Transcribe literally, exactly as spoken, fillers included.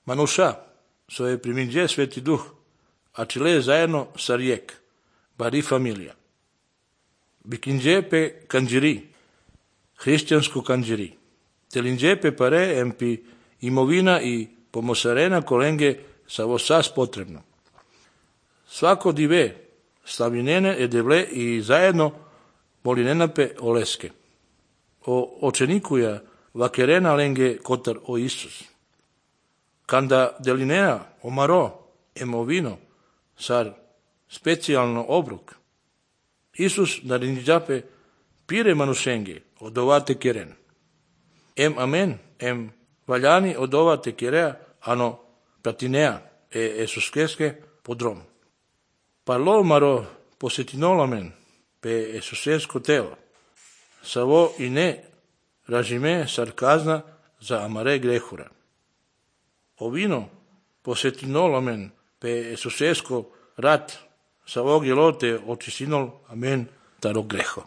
Manuša, svoje priminđe Sveti Duh, a čile zajedno sa rijek, bari familija. Bikinđepe kanđiri, hrišćansku kanđiri. Telinđepe pare empi imovina i pomosarena kolenge sa vosas potrebno. Svako dive slavinene edevle i zajedno molinenape oleske. O očenikuja vakerena lenge kotar o Isus. Kanda delinea omaro emovino sar specijalno obruk. Isus narinđape pire manušenge odovate keren. Em amen, em valjani odovate kerea ano pratinea e esuskeske podrom. Parlo maro posetinolamen pe esusesko telo. Savo i ne ražime sarkazna za amare grehura. Ovino posetinolamen pe esusesko rat savo gelote očisinol amen taro greho.